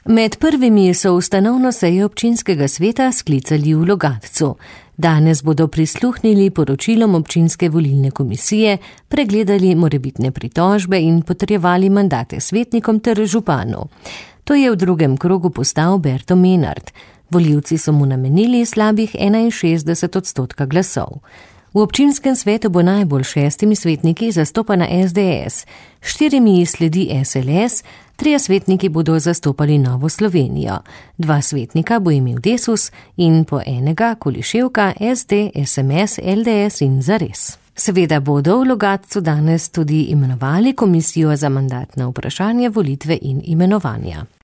Med prvimi so ustanovno sejo občinskega sveta sklicali v Logatcu. Danes bodo prisluhnili poročilom občinske volilne komisije, pregledali morebitne pritožbe in potrjevali mandate svetnikom ter županu. To je v drugem krogu postal Berto Menard. Volivci so mu namenili slabih 61% glasov. V občinskem svetu bo najbolj 6 svetniki zastopana SDS, 4 sledi SLS, 3 svetniki bodo zastopali Novo Slovenijo, 2 svetnika bo imel Desus in po enega Koliševka, SD, SMS, LDS in Zares. Seveda bodo v Logatcu danes tudi imenovali komisijo za mandatna vprašanja, volitve in imenovanja.